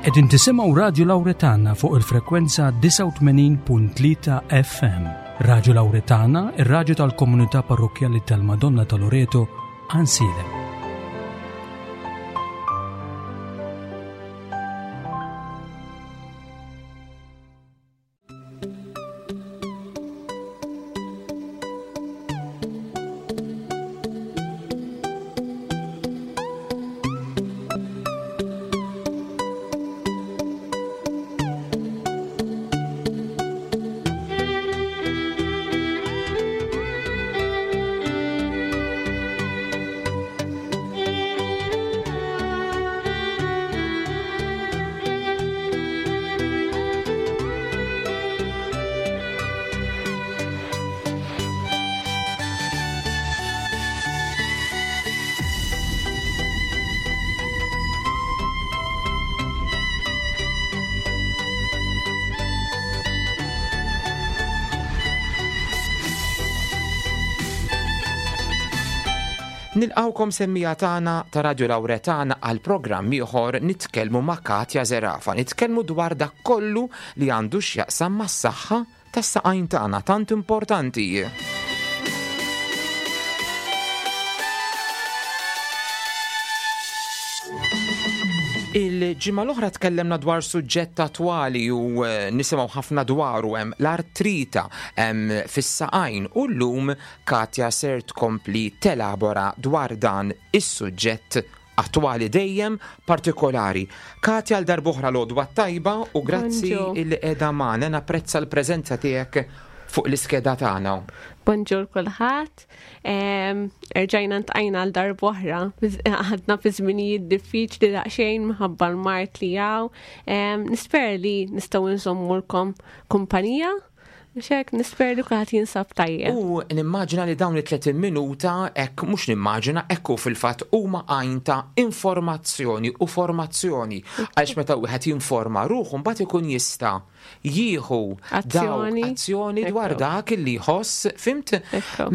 Qegħdin tisimgħu Radju Lawretana fuq il-frekwenza 89.3 FM. Radju Lawretana, ir-radju tal-komunità parrokkjali tal-Madonna ta' Loreto, Għansielem. Nilqawkom semmija tagħna ta' Radio Lawretana għal programm ieħor nitkellmu ma' Katja Zerafa. Nitkellmu dwar dak kollu li għandu x'jaqsam mas-saħħa tas-saqajn tagħna tant importanti. Il-ġimgħa l-oħra tkellemna dwar suġġett attwali u eh, nisimgħu ħafna dwaru hemm l-artrita hemm fis-saqajn u llum Katja ser tkompli telabora dwar dan is-suġġett attwali dejjem partikolari. Katja għal darb'oħra l-għodwa t-tajba u grazzi illi qiegħda magħna napprezza l-preżenza tiegħek fuq l-iskeda tagħna. Bonġur kulħadd. Erġajna ntqajna għal darb'oħra. Għadna fi żminijiet diffiċli daqsxejn minħabba l-mart li hawn. Nispera li nistgħu nżommulkom kumpanija Xek, nisper li kulħadd jinsab tajjeb. U nimmaġina li dawn it-30 minuta, hekk mhux nimmaġina, hekk hu fil-fatt huma għajn ta' informazzjoni u formazzjoni. Għaliex meta wieħed jinforma ruħu mbagħad ikun jista' jieħu azzjoni, azzjoni dwar dak illi jħoss, fimt?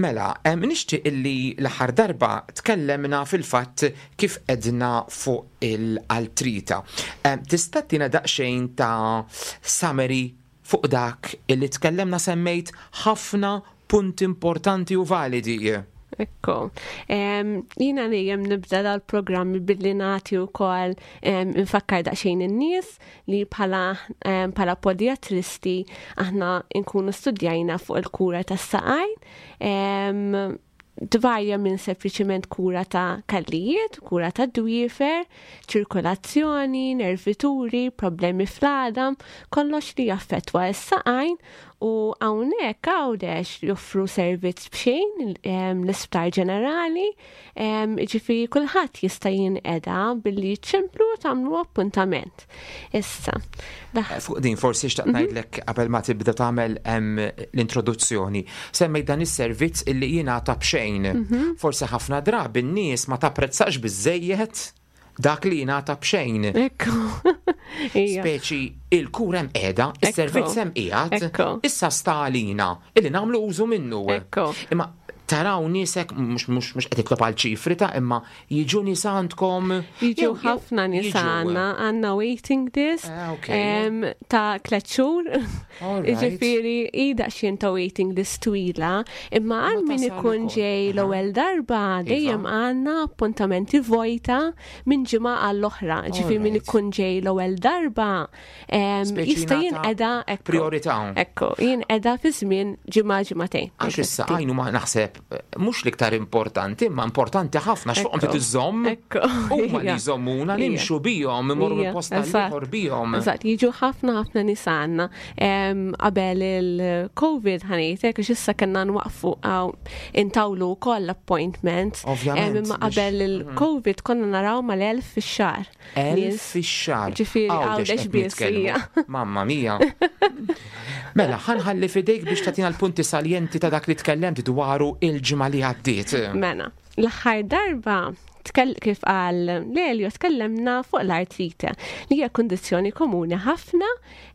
Mela, nixtieq illi l-aħħar darba tkellemna fil-fatt kif edna fuq il-altrita. Tista' tina daqsxejn ta' summary Fuq dak illi tkellemna semmejt ħafna punti importanti u validi. Ekku. Jina dejjem nibda dal-programmi billi nagħti wkoll infakkar daqsxejn in-nies li bħala bħala podiatristi aħna nkunu studjajna fuq il-kura tas-saqajn. Tvarja minn sempliċiment kura ta' kallijiet, kura ta' dwiefer, ċirkolazzjoni, nervituri, problemi fl-għadam, kollox li jaffettwa s-saqajn u hawnhekk Għawdex joffru servizz b'xejn l-Isptar Ġenerali, ġifieri kulħadd jista' jinqeda billi ċemplu u tagħmlu appuntament. Issa. Eh, fuq din forsi xtaqt mhm. ngħidlek qabel ma tibda tagħmel l-introduzzjoni. Semmejt dan is-servizz illi jingħata b'xejn. Mhm. Forsi ħafna drabi n-nies ma tapprezzax biżejjed dak li jingħata b'xejn. Ekku. Speċi il-kura hemm qiegħda, is-servizz hemm qiegħed, issa sta għalina illi nagħmlu użu minnu. Imma taraw niesek mhux mhux mhux qed itlob għal ċifri ta' imma Jiġu nies għandkom? Jiġu ħafna nies għandna, għandna waiting list eh, ta' tliet xhur. Jiġifieri hi daqsxejn ta' waiting list twila, imma għal min ikun ġej l-ewwel darba iva. dejjem għandna appuntamenti vojta minn ġimgħa għall-oħra. Ġifieri min ikun ġej l-ewwel darba jista' jinqeda priorità. Ekku, jinqeda fi żmien ġimgħa ġimagħtejn. Għax issa għajnu ma naħseb mhux l-iktar importanti, imma importanti ħafna x'fuqhom trid iżżomm. Huma li jżommuna nimxu bihom, imorru minn post ieħor bihom. Eżatt, jiġu ħafna ħafna nies għandna. Qabel il-COVID ħanejtek, għax issa kellna nwaqfu intawlu wkoll appointments. Ovvjament. Imma qabel il-COVID konna naraw mal-1000 fix-xahar. 1000 fix-xahar. Ġifieri għawdex biss. Mamma mia. Mela, ħanħalli fidejk biex tagħtina l-punti saljenti ta' dak li tkellemt dwaru il-ġimgħa li għaddiet. Mela. L-aħħar darba kif qal Lelio tkellemna fuq l-artrite li hija kundizzjoni komuni ħafna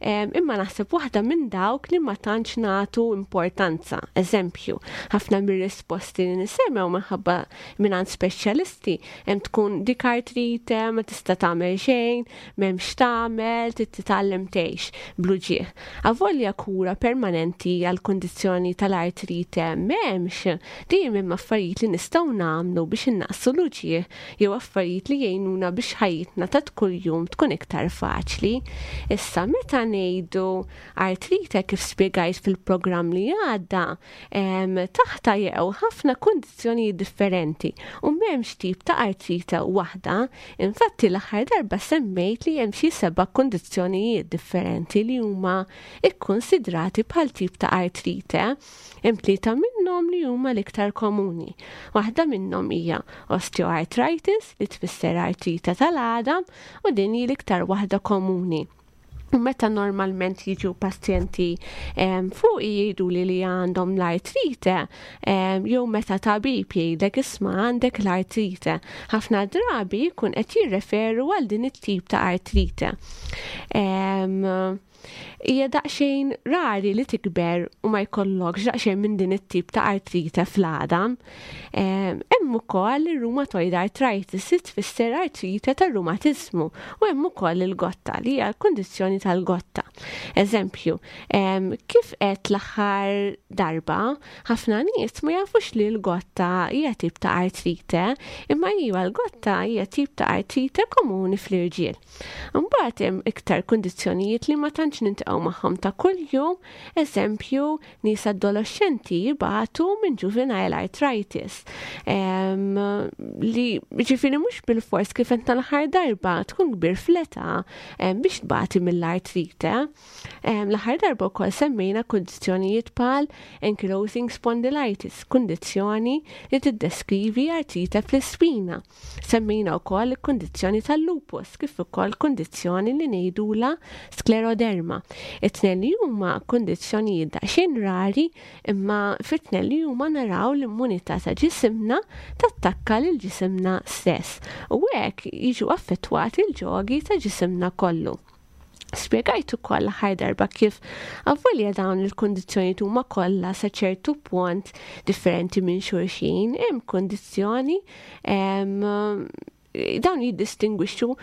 imma naħseb waħda minn dawk li ma tantx nagħtu importanza. Eżempju, ħafna mir-risposti li nisemgħu minħabba mingħand speċjalisti hemm tkun dik artrite ma tista' tagħmel xejn, m'hemmx tagħmel, trid titgħallem tgħix bl-uġigħ. Avolja kura permanenti għall-kundizzjoni tal-artrite m'hemmx, dejjem hemm affarijiet li nistgħu nagħmlu biex innaqqsu l-uġigħ jew affarijiet li jgħinuna biex ħajjitna ta' kuljum tkun iktar faċli. Issa meta ngħidu artrite kif spjegajt fil-programm li għadda, taħta jew ħafna kundizzjonijiet differenti u m'hemmx tip ta' artrite waħda. Infatti l-aħħar darba semmejt li hemm xi seba' kundizzjonijiet differenti li huma kkunsidrati bħal tip ta' artrite. Hemm tlieta minnhom li huma l-iktar komuni. Waħda minnhom hija osteoarthritis li tfisser artrite tal-għadam u din hi l-iktar waħda komuni. U meta normalment jiġu pazjenti fuq jgħidu li li għandhom l-artrite, jew meta tabib jgħidlek isma' għandek l-artrite, ħafna drabi jkun qed jirreferu għal din it-tip ta' artrite. Hija daqsxejn rari li tikber u ma jkollokx daqsxejn minn din it-tip ta' artrite fl-għadam. Hemm ukoll ir-rheumatoid arthritis li tfisser artrite tar-rumatiżmu u hemm ukoll il-gotta li hija l-kundizzjoni tal-gotta. Eżempju, kif qed l-aħħar darba, ħafna nies ma jafux li l-gotta hija tip ta' artrite, imma iva l-gotta hija tip ta' artrite komuni fl-irġiel. Imbagħad hemm iktar kundizzjonijiet li ma tantx niltaqgħu magħhom ta' kuljum, eżempju, nies adoloxxenti jibatu minn juvenile arthritis. Li ġifieri mhux bilfors kif qed tal-aħħar darba tkun kbir fl-età biex tbati mill-artrite. L-aħħar darba wkoll semmejna kundizzjonijiet bħal ankylosing spondylitis, kundizzjoni li tiddeskrivi artrite fl-ispina. Semmejna wkoll il-kundizzjoni tal-lupus kif ukoll kundizzjoni li ngħidulha skleroderma. It-tnejn li huma kundizzjonijiet daqsxejn rari imma fit-tnejn li huma naraw l-immunità ta' ġisimna tattakka lil ġisimna stess u hekk jiġu affettwati l-ġogi ta' ġisimna kollu. Spjegajt ukoll l-aħħar darba kif avolja dawn il-kundizzjonijiet huma kollha sa ċertu punt differenti minn xulxin, hemm kundizzjoni dawn jiddistingwixxu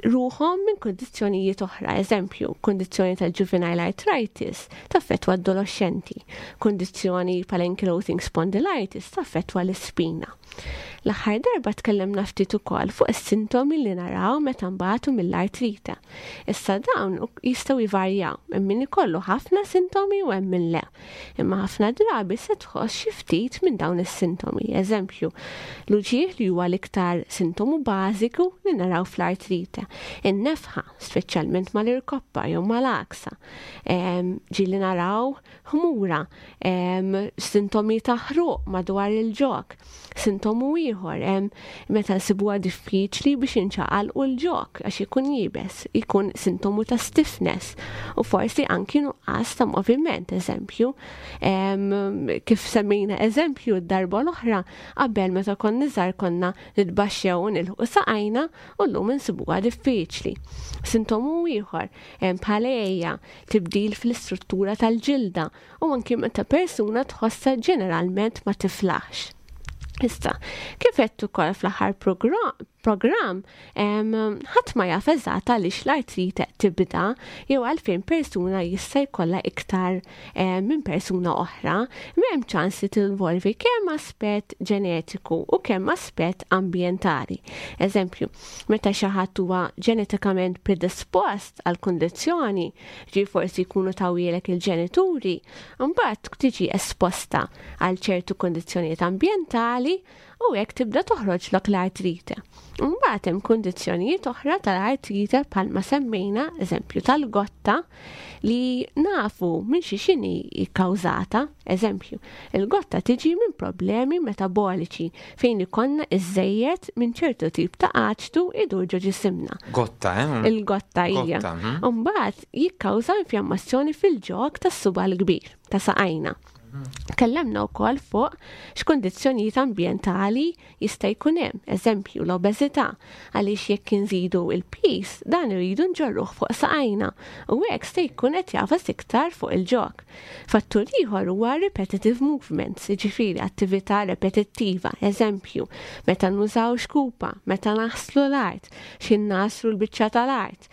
ruħhom minn kundizzjonijiet oħra. Eżempju, kundizzjoni tal-juvenile arthritis taffettwa adolescenti, kundizzjoni bħal ankylosing spondylitis taffettwa l-ispina. L-aħħar darba tkellimna ftit ukoll fuq is-sintomi li naraw meta nbatu mill-artrite. Issa dawn jistgħu jvarjaw, hemm min ikollu ħafna sintomi u hemm min le. Imma ħafna drabi se tħoss xi ftit minn dawn is-sintomi. Eżempju, l-uġigħ li huwa l-iktar sintomu bażiku li naraw fl-artrite. In-nefħa, speċjalment mal-irkoppa jew mal-għaksa. Ġieli naraw ħmura, sintomi ta' ħruq madwar il-ġog. Sintomu ieħor meta nsibuha diffiċli biex inċaqalqu l-ġog għax ikun iebes, ikun sintomu ta' stiffness u forsi anki nuqqas ta' moviment, eżempju. Kif semmejna eżempju d-darba l-oħra, qabel meta konna żgħar konna nitbaxxew u nilħqu saqajna u llum insibuha diffiċli. Sintomu ieħor bħal għeja, tibdil fl-istruttura tal-ġilda u anki meta persuna tħossha ġeneralment ma tiflaħx. Issa, kif għedt ukoll fl-aħħar programm, ħadd ma jaf eżatt għaliex l-artrite tibda jew għalfejn persuna jista' jkollha iktar minn persuna oħra, m'hemm ċans li tinvolvi kemm aspett ġenetiku u kemm aspett ambjentali. Eżempju, meta xi ħadd huwa ġenetikament predispost għal kundizzjoni, ġi forsi jkunu tawhielek il-ġenituri, mbagħad tiġi esposta għal ċertu kundizzjonijiet ambjentali u hekk tibda toħroġlok l-artrite. Mbagħad hemm kundizzjonijiet oħra tal-artrite bħalma semmejna, eżempju tal-gotta, li nafu minn xi x'inhi kkawżata. Eżempju, il-gotta tiġi minn problemi metaboliċi fejn ikollna iżżejjed minn ċertu tip ta' aċtu idur ġo ġisimna. Gotta, eh? Il-gotta hija. Mbagħad jikkawża infjammazzjoni fil-ġog tas-suba l-kbir ta' saqajna. Tkellemna wkoll fuq x'kundizzjonijiet ambjentali jista' jkun hemm, eżempju l-obeżità, għaliex jekk inżidu il-piż dan iridu nġorruh fuq saqajna u hekk se jkun qed jagħfas iktar fuq il-ġog. Fattur ieħor huwa repetitive movements, jiġifieri attività repetittiva, eżempju, meta nużaw xkupa, meta naħslu l-art, xi nagħsru l-biċċa tal-art,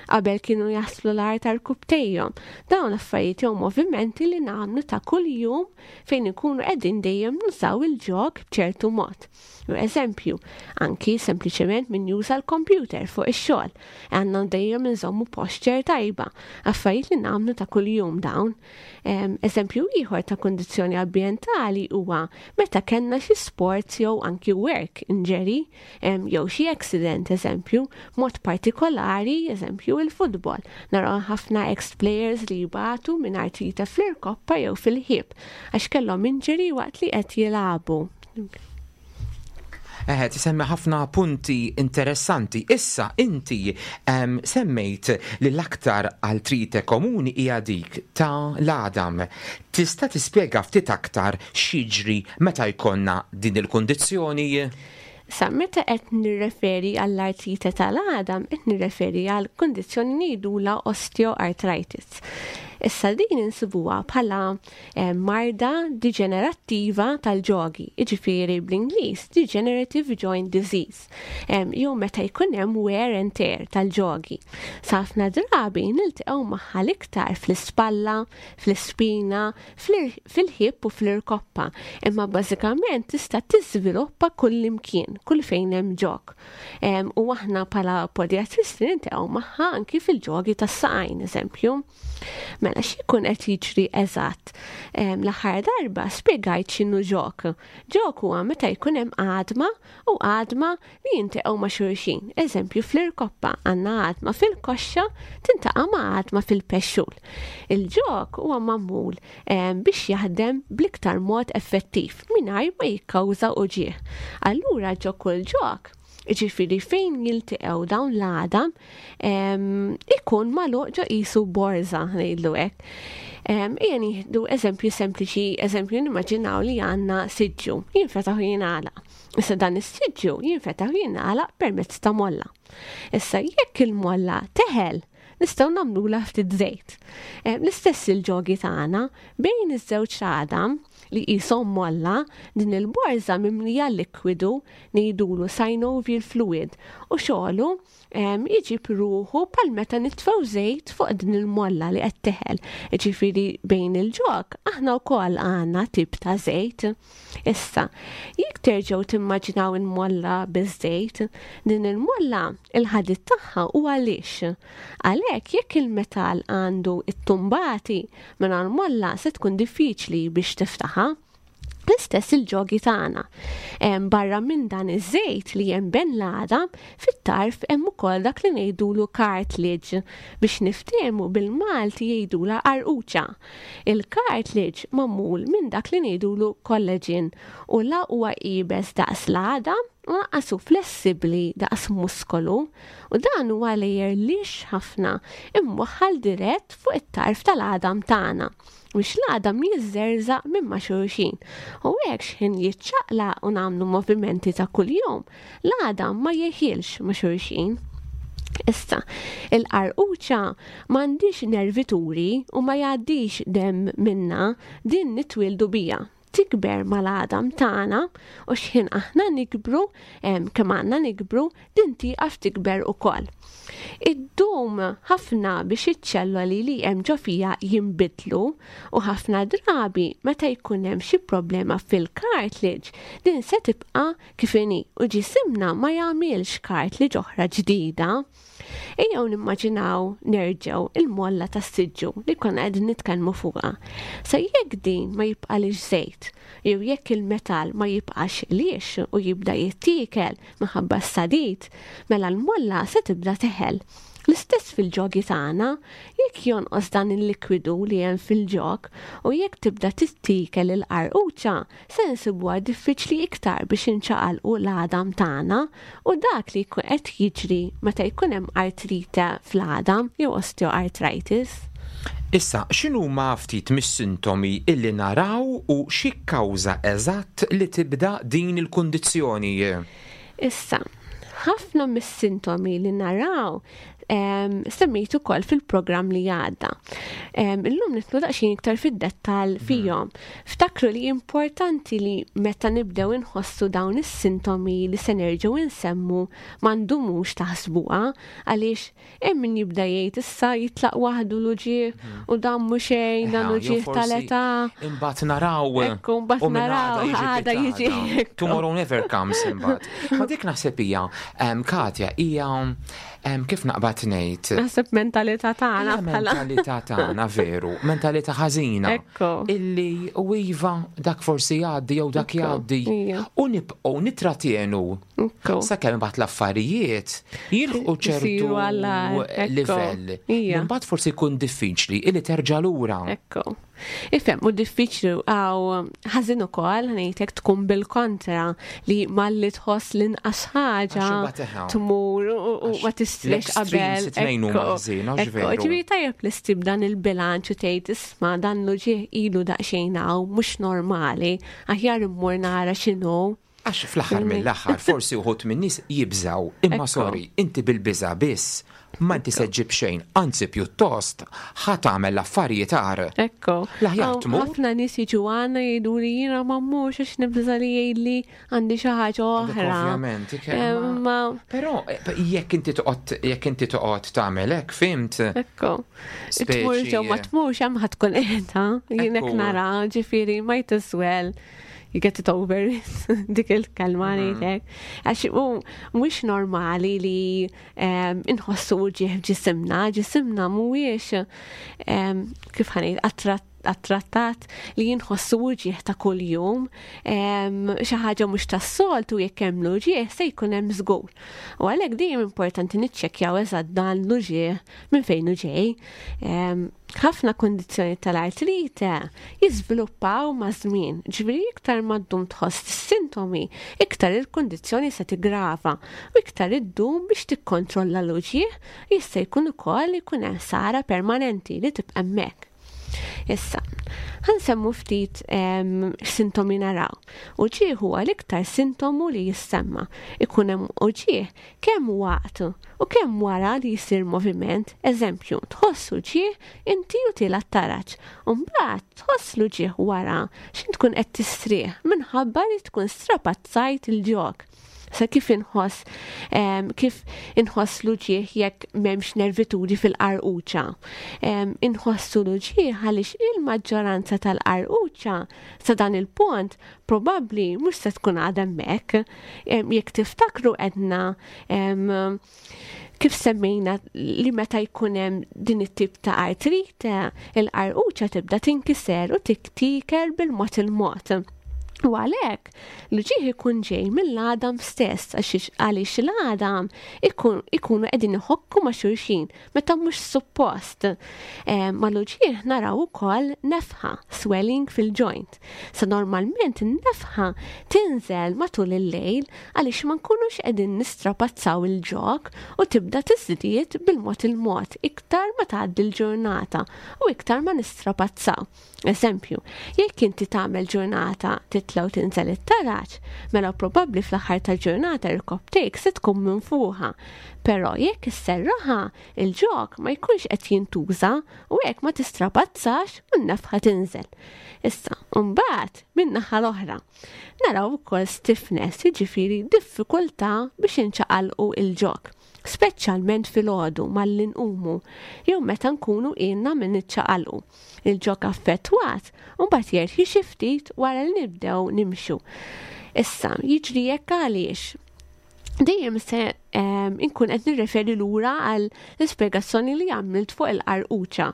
Qabel kienu jaslu l-art għal-kubtejhom. Dawn l-affarijiet jew movimenti li nagħmlu ta' kuljum fejn ikunu qegħdin dejjem nużaw il-ġog b'ċertu mod. Eżempju, anki sempliċement min juża l-kompjuter fuq ix-xogħol. Għandna dejjem inżommu posture tajba, affarijiet li nagħmlu ta' kuljum dawn. Eżempju ieħor ta' kundizzjoni ambjentali huwa meta kellna xi sports jew anki work injury jew xi accident eżempju, mod partikolari eżempju il-futbol. Naraw ħafna ex-players li jbatu minn artrite fl-irkoppa jew fil-ħib għax kellhom injury waqt li qed jilagħbu. Eħe, tisemmi ħafna punti interessanti. Issa, inti semmejt li l-aktar artrite komuni hija dik ta' l-għadam. Tista' tispjega ftit aktar x'jiġri meta jkollna din il-kundizzjoni? Sa meta qed nirreferi għall-artrite tal-għadam, qed nirreferi għal kundizzjoni ngħidulha osteoarthritis. Issa din insibuha bħala eh, marda diġenerattiva tal-ġogi, jiġifieri bl-Ingliż degenerative joint disease, jew meta jkun hemm wear and tear tal-ġogi. Sa ħafna drabi niltaqgħu magħha l-iktar fl-ispalla, fl-ispina, fil-ħib u fl-irkoppa, imma bażikament tista' tiżviluppa kull imkien, kull fejn hemm ġog. U aħna bħala podiatristi niltaqgħu magħha anki fil-ġogi tas-saqajn, eżempju. Mela x'ikun qed jiġri eżatt? L-aħħar darba spjegajt x'inhu ġog. Ġog huwa meta jkun hemm għadma u għadma li jintaqgħu ma' xulxin. Eżempju fl-irkoppa għandna għadma fil-koxxa tintaqa' ma' għadma fil-pexxul. Il-ġog huwa magħmul biex jaħdem bl-iktar mod effettiv mingħajr ma jikkawża uġigħ. Allura ġo kull ġog, jiġifieri fejn jiltaqgħu dawn l-għadam, ikun magħluq ġo qisu borża ngħidlu hekk. Ejja nieħdu eżempju sempliċi, eżempju nimmaġinaw li għandna siġġu, jinfetaħ u jingħalaq. Issa dan is-siġġu jinfetaħ u jingħalaq permezz ta' molla. Issa jekk il-molla teħel, nistgħu nagħmlulha ftit żejt. L-istess il-ġogi tagħna bejn iż-żewġ għadam li qishom molla, din il-borża mimlija likwidu ngħidulu synovial fluid u xogħlu jġib ruħu bħal meta nitfgħu żejt fuq din il-molla li qed teħel. Jiġifieri bejn il-ġog aħna wkoll għandna tip ta' żejt. Issa, jekk terġgħu timmaġinaw il-molla biż-żejt, din il-molla il-ħadid tagħha huwa lixx. Għalhekk jekk il-metall għandu t-tumbati mela l-molla se tkun diffiċli biex tiftaħha. L-istess il-ġogi tagħna. Barra minn dan iż-żejt li hemm ben l-għadam, fit-tarf hemm ukoll dak li ngħidulu cartilage. Biex niftehmu bil-Malti jgħidulha qarquċa. Il-cartilage magħmul minn dak li ngħidulu collagen u la huwa iebes daqs l-għadam u lanqas hu flessibbli daqs muskolu u dan huwa layer lixx ħafna imwaħħal dirett fuq it-tarf tal-għadam tagħna. Biex l-għadam jiżżerżaq minn ma' xulxin. U hekk x'ħin jiċċaqlaq u nagħmlu movimenti ta' kuljum, l-għadam ma jeħilx ma' xulxin. Issa, il-qarquċa m'għandhiex nervituri u ma jgħaddix demm minnha, din nitwieldu biha. Tikber mal-għadam tagħna u x'ħin aħna nikbru, kemm għandna nikbru, din tieqaf tikber ukoll. Iddum ħafna biex iċ-ċelloli li hemm ġo fiha jinbidlu u ħafna drabi meta jkun hemm xi problema fil-cartilage din se tibqa' kif inhi u ġisimna ma jagħmilx cartilage oħra ġdida. Ejjew nimmaġinaw nerġgħu il-molla tas-siġġu li konna qegħdin nitkellmu fuqha. Sa jekk din ma jibqalix żejt, jew jekk il-metall ma jibqax lix u jibda jittiekel minħabba s-sadid, mela l-molla se tibda teħel. L-istess fil-ġogi tagħna, jekk jonqos dan il-likwidu li hemm fil-ġog u jekk tibda tittiekel il-qarquċa, se nsibuha diffiċli iktar biex inċaqalqu l-għadam tagħna u dak li jkun qed jiġri meta jkun hemm artrite fl-għadam jew osteoarthritis. Issa, x'inhuma ftit mis-sintomi illi naraw u x'jikkawża eżatt li tibda din il-kundizzjoni? Issa, ħafna mis-sintomi li naraw semmejt ukoll fil-programm li għadda. Illum nitlu daqsxejn iktar fid-dettall mhm. fihom. Ftakru li importanti li meta nibdew inħossu dawn is-sintomi li se nerġgħu insemmu ma ndumux taħsbuha għaliex Hemm min jibda jgħid issa jitlaq waħdu l-uġigħ mhm. u dan mhu xejn, dan uġigħ tal-età. Imbagħad naraw. Ekku, mbagħad naraw għada jiġi. Tomorrow never comes imbagħad. Ma dik naħseb hija Katja hija kif naqbad ngħid. Naħseb mentalità tagħna bħala. Mentalità tagħna veru, mentalità ħażina. Illi u iva dak forsi jgħaddi jew dak jgħaddi. U nibqgħu nitratjenu Sakemm imbagħad l-affarijiet jilħqu ċertu livell. Imbagħad forsi jkun diffiċli illi terġa' lura. Ekku. Ifhem, u diffiċli għaw ħażin ukoll ngħidlek tkun bil-kontra li malli tħoss l-inqas ħaġa tmur u ma tistrix qabel. Ġifieri tajjeb li ssib dan il-bilanċ u tgħid isma' dan l-uġigħ ilu daqsxejn hawn mhux normali, aħjar immur nara x'inhu. Għax fl-aħħar mill-aħħar forsi uħud min-nies jibżgħu, imma sorry, inti bil-biża' biss ma inti se ġġib xejn, anzi pjuttost ħa tagħmel l-affarijiet agħar. Ekku. L-aħjar tmur. Ħafna nies jiġu għandna jgħiduli jiena ma mmurx għax nibża' li jgħidli għandi xi ħaġa oħra. Ovvjament, imma. Però jekk inti toqgħod jekk inti toqgħod tagħmel hekk, fimt? Ekku. Tmur ġew ma tmurx hemm ħa tkun qiegħda, jien hekk nara, ġifieri might as well you get it over dik il-kelma mhm. ngħidlek. Għax mhux normali li inħossu ġieħ ġisimna, ġisimna mhuwiex kif ħanejt attrattat li jinħossu uġieħ ta' kuljum, xi ħaġa mhux tas-soltu jekk hemm l-uġieħ se jkun hemm żgur. U għalhekk dejjem importanti niċċekkjaw eżatt dan l-uġieħ minn fejn hu ġej. Ħafna kundizzjonijiet tal-artrite jiżviluppaw maż-żmien, ġifieri iktar ma ddum tħoss is-sintomi, iktar il-kundizzjoni se tiggrava u iktar iddum biex tikkontrolla l-uġigħ, jista' jkun ukoll li jkun hemm ħsara permanenti li tibqa' hemmhekk. Issa, ħa nsemmu ftit x'sintomi naraw. Uġigħ huwa l-iktar sintomu li jissemma. Ikun hemm uġigħ kemm waqt u kemm wara li jsir moviment, eżempju, tħoss uġigħ inti u tiela' t-taraġ, u mbagħad tħoss l-uġigħ wara x'int tkun qed tistrieħ minħabba li tkun strapazzajt il-ġog. Sa kif inħoss kif inħoss l-uġigħ jekk m'hemmx nervituri fil-qarquċa. Inħossu l-uġigħ għaliex il-maġġoranza tal-qarquċa sa dan il-punt probabbli mhux se tkun għadha hemmhekk. Jekk tiftakru għedna kif semmejna li meta jkun hemm din it-tip ta' artrite, il-qarquċa tibda tinkiser u tiktiker bil-mod il-mod. U għalhekk l-uġigħ ikun ġej mill-għadam stess għaliex l-għadam ikunu qegħdin iħokku ma' xulxin meta mhux suppost. Mal-uġigħ naraw ukoll nefħa, swelling fil-joint. Sa normalment in-nefħa tinżel matul il-lejl għaliex ma nkunux qegħdin nistrapazzaw il-ġog u tibda tiżdied bil-mod il-mod iktar ma tgħaddi l-ġurnata u iktar ma nistrapazzaw. Eżempju, jekk inti tagħmel ġurnata titla' u tinżel it-taraġ, mela probabbli fl-aħħar tal-ġurnata irkopptejk se tkun minfuħa. Però jekk isserraħha, il-ġog ma jkunx qed jintuża u hekk ma tistrapazzax u n-nefħa tinżel. Issa, mbagħad min-naħa l-oħra, naraw ukoll stiffness, jiġifieri diffikultà biex inċaqalqu il-ġog, speċjalment filgħodu malli nqumu jew meta nkunu ilna minn niċċaqalqu. Il-ġog affettwat mbagħad jerħi xi ftit wara li nibdew nimxu. Issa, jiġri hekk għaliex dejjem se inkun qed nirreferi lura għal l-ispjegazzjoni li għamilt fuq il-qarquċa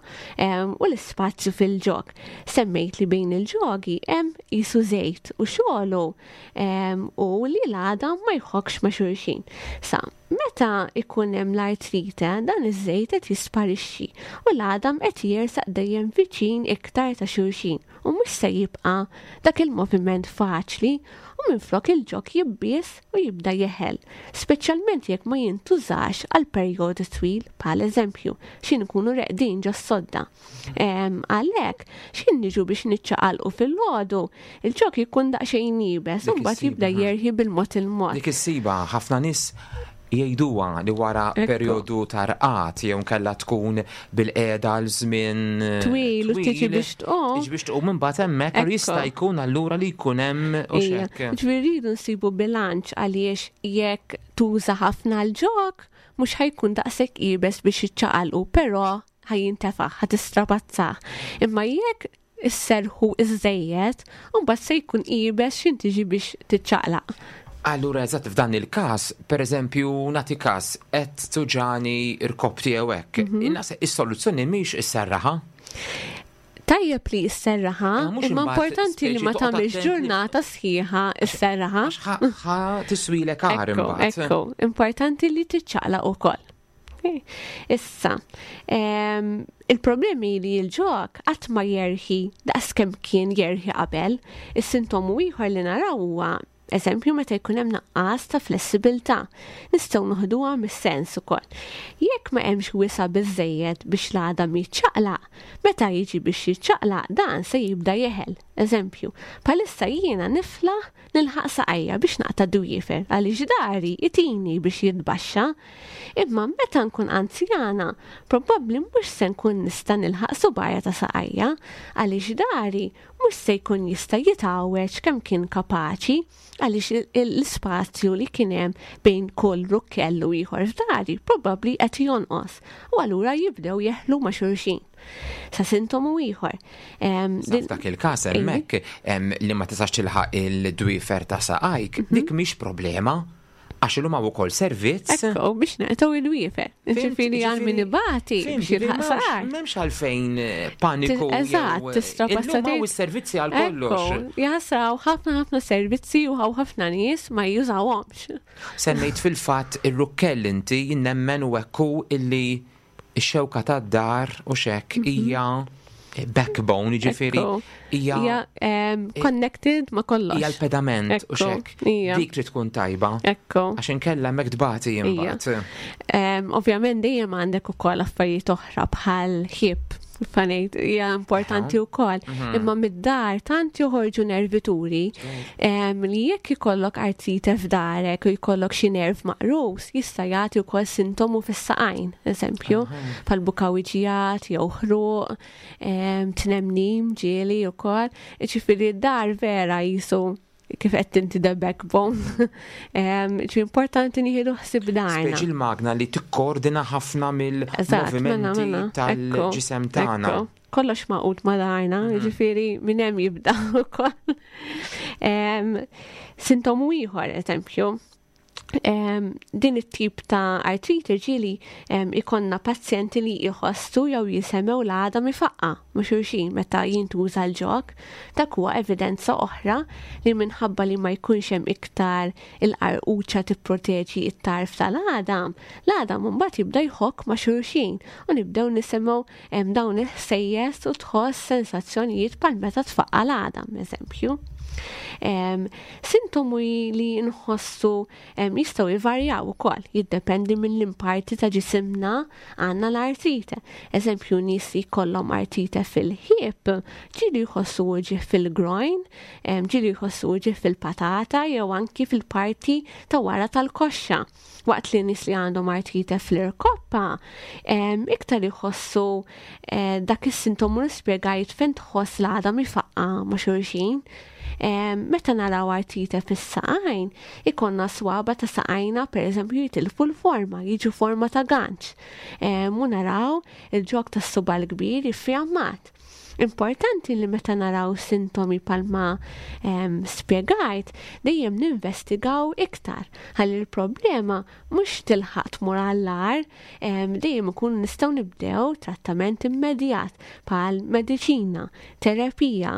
u l-ispazju fil-ġog. Semmejt li bejn il-ġogi hemm qisu żejt u xogħlu u li l-għadam ma jħokkx ma' xulxin. Sa, meta ikun hemm l-artrite, dan iż-żejt qed jisparixxi u l-għadam qed jersaq dejjem viċin iktar ta' xulxin u mhux se jibqa' dak il-moviment faċli. u minflok il-ġog jibbies u jibda jeħel, speċjalment jekk ma jintużax għal perjodu twil bħal eżempju xi nkunu reqdin ġo sodda. Għalhekk, xi niġu biex niċċaqalqu fil-għodu, il-ġog jkun daqsxejn iebes u mbagħad jibda jerħi bil-mod il-mod. Dik is-siba ħafna nies jgħiduha li wara perjodu ta' rqad jew nkella tkun bil-qiegħda għal żmien eh, twil u tiġi biex tqum. Tiġi biex tqum imbagħad hemmhekk jista' jkun allura li jkun hemm u xekk. Ġifieri rridu nsibu bilanċ għaliex jekk tuża ħafna l-ġok mhux ħajkun daqshekk iebes biex jiċċaqalqu, però ħajintefaħ, ħatistrapazzah. Imma jekk isserrħu iżżejjed, u mbagħad se jkun iebes x'in tiġi biex tiċċaqlaq. Allura eżatt f'dan il-każ, pereżempju nagħti każ qed tuġani rkoppti jew hekk, mhm. is-soluzzjoni mhix isserraħa. Tajjeb li jisserraħa, eh, imma importanti li ma tagħmilx ġurnata sħiħa isserraħa. Ħa tiswilek għar imbagħad. Ekku, importanti li tiċċaqlaq ukoll. Issa, il-problemi li l-ġok qatt ma jerħi daqs kemm kien jerħi qabel, is-sintomu ieħor li naraw huwa eżempju meta jkun hemm naqqas ta' flessibilità. Nistgħu noħduha mis-sens ukoll. Jekk ma hemmx wisa' biżejjed biex l-għadam jiċċaqlaq, meta jiġi biex jiċċaqlaq dan se jibda jeħel. Eżempju, bħalissa jiena niflaħ Nilħaq saqajja biex naqta' d-dwiefer għaliex dari itini biex jitbaxxa. Imma meta nkun anzjana, probabbli mhux se nkun nista' nilħaq subgħajja ta' saqajja għaliex dari mhux se jkun jista' jitgħawweġ kemm kien kapaċi għaliex l-ispazju li kien hemm bejn kull rukkell u ieħor f'dari probabbli qed jonqos u allura jibdew jeħlu ma' xulxin. Sa sintomu ieħor. F'dak il-każ hemmhekk li ma tistax tilħaq il-dwiefer ta' saqajk, mhm. dik mhix problema għax illum hawn ukoll servizz. Ekku, biex naqtgħu il-wiefer. Ġifieri għal min ibati biex jilħaq saqaj. M'hemmx għalfejn eh, paniku. Eżatt, tista' Illum hawn is-servizzi għal kollox. Jaħsraw ħafna ħafna servizzi u hawn ħafna nies ma jużawhomx. Semmejt fil-fatt ir-rukkell inti nemmen u ekku illi ix-xewka tad-dar u xek mhm. hija backbone, ġifiri hija connected ma kollox. Hija l-pedament u xek. Dik li tkun tajba. Ekku. Għax inkella hemmhekk tbati imbagħad. Ovvjament dejjem għandek ukoll affarijiet oħra bħal ħib fanejt hija importanti wkoll. Mhm. Imma mid-dar tant joħorġu nervituri li jekk ikollok artrite f'darek u jkollok xi nerv maqrus, jista' jagħti wkoll sintomu fis-saqajn, eżempju, bħal bukawiġijat jew ħruq, tnemnim ġieli wkoll. Ġifieri d-dar vera jisu kif qed inti the backbone. Ġi importanti nieħdu ħsieb darna. Speċi l-magna li tikkoordina ħafna mill-movimenti mela, mela. tal-ġisem tagħna. Kollox maqut ma darna, mhm. ġifieri minn hemm jibda ukoll. Sintomu ieħor, eżempju, din it-tip ta' artrite ġieli ikonna pazjenti li jħossu jew jisemgħu l-għadam ifaqqa ma' xulxin meta jintuża l-ġog. Dak huwa evidenza oħra li minħabba li ma jkunx hemm iktar il-qarquċa tipproteġi t-tarf tal-għadam, l-għadam imbagħad jibda jħokk ma' xulxin u nibdew nisimgħu dawn il-ħsejjes u tħoss sensazzjonijiet bħal meta tfaqqa l-għadam, eżempju. Sintomi li nħossu jistgħu jvarjaw ukoll, jiddependi mill-imparti ta' ġisimna għandna l-artrite. Eżempju, nies li jkollhom artrite fil-ħieb, ġieli jħossu uġigħ fil-groin, ġieli jħossu uġigħ fil-patata jew anki fil-parti ta' wara tal-koxxa. Waqt li nies li għandhom artrite fl-irkoppa, iktar jħossu eh, dak is-sintomu li spjegajt fejn tħoss l-għadam ifaqqa ma' xulxin. Meta naraw artrite fis-saqajn, ikonna swaba ta' saqajna pereżempju jitilfu l-forma, jiġu forma ta' ganċ. U naraw il-ġog tas-suba l-kbir jiffjammat. Importanti li meta naraw sintomi palma spjegajt, dejjem ninvestigaw iktar ħalli l-problema mhux tilħaq tmur għall-agħar, dejjem ikun nistgħu nibdew trattament immedjat bħal mediċina, terapija,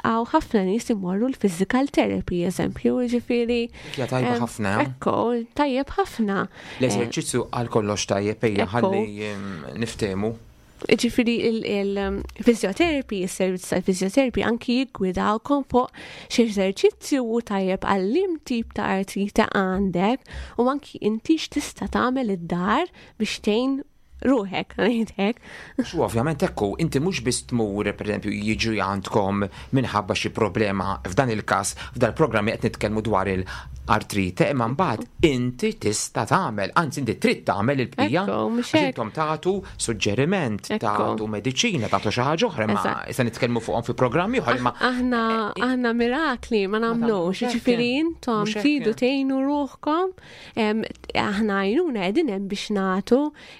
hawn ħafna nies imorru l-physical therapy eżempju, jiġifieri. Hija tajba ħafna. Ekku, tajjeb ħafna. L-eżerċizzju għal kollox tajjeb ejja ħalli niftehmu. Ġifiri il-physiotherapy, il-servizz tal-physiotherapy anki jiggwidawkom fuq xi eżerċizzju u tajjeb għal tip ta' artrite għandek u anki inti x'tista' tagħmel id-dar biex tgħin ruħek, ngħidlek. Xu ovvjament ekku, inti mhux biss tmur, pereżempju, jiġu għandkom minħabba xi problema f'dan il-każ, f'dal programmi qed nitkellmu dwar il-artrite, imma mbagħad inti tista' tagħmel, anzi inti trid tagħmel il-bqija. Intom tagħtu suġġeriment, tagħtu mediċina, tagħtu xi ħaġa oħra, ma se nitkellmu fuqhom fi programmi oħra imma aħna aħna mirakli ma nagħmlux, jiġifieri intom tridu tgħinu ruħkom Aħna għajnuna qegħdin hemm biex nagħtu,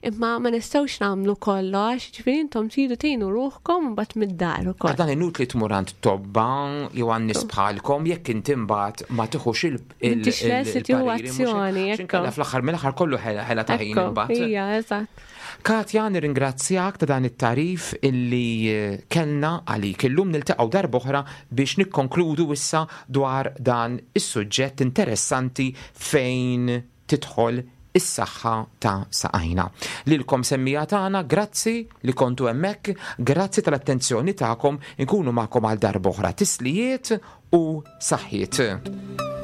imma ma nistgħux nagħmlu kollox, ġifieri intom tridu tgħinu ruħkom mbagħad mid-dar ukoll. Dan inutli tmur għand tobba jew għand nies bħalkom jekk inti mbagħad ma tieħux il- M'intix lest li tieħu azzjoni. Inkella fl-aħħar mill-aħħar kollu ħela ta' ħin imbagħad. Ija, eżatt. Katja, nirringrazzjak ta' dan it-tagħrif illi eh, kellna għalik. Illum niltaqgħu darb'oħra biex nikkonkludu issa dwar dan is-suġġett interessanti fejn tidħol is-saħħa ta' saqajna. Lilkom semmija tagħna, grazzi li kontu hemmhekk, grazzi tal-attenzjoni tagħkom, inkunu magħkom għal darb'oħra. Tislijiet u saħħiet.